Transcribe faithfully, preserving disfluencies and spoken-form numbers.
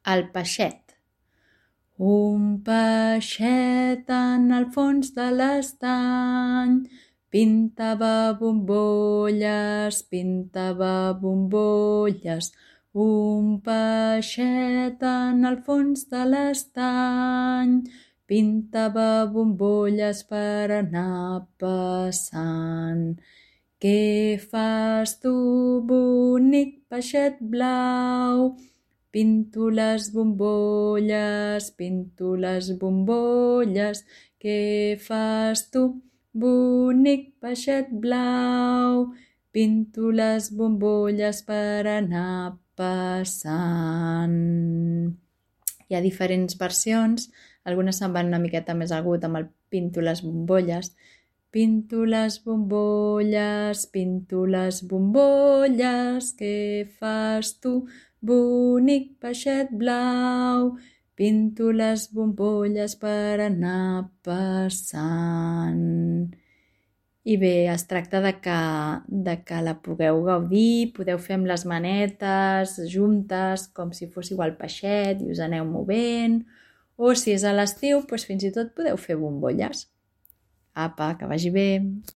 El peixet. Un peixet en el fons de l'estany pintava bombolles, pintava bombolles. Un peixet en el fons de l'estany pintava bombolles per anar passant. Què fas tu, bonic peixet blau? Pinto les bombolles, pinto les bombolles. Què fas tu, bonic peixet blau? Pinto les bombolles per anar passant. Hi ha diferents versions, algunes se'n van una miqueta més agut amb el pinto les bombolles. Pinto les bombolles, pinto les bombolles, què fas tu, bonic peixet blau? Pinto les bombolles per anar passant. I bé, es tracta de que, de que la pugueu gaudir, podeu fer amb les manetes juntes, com si fóssiu el peixet i us aneu movent, o si és a l'estiu, doncs fins i tot podeu fer bombolles. Apa, que vagi bé!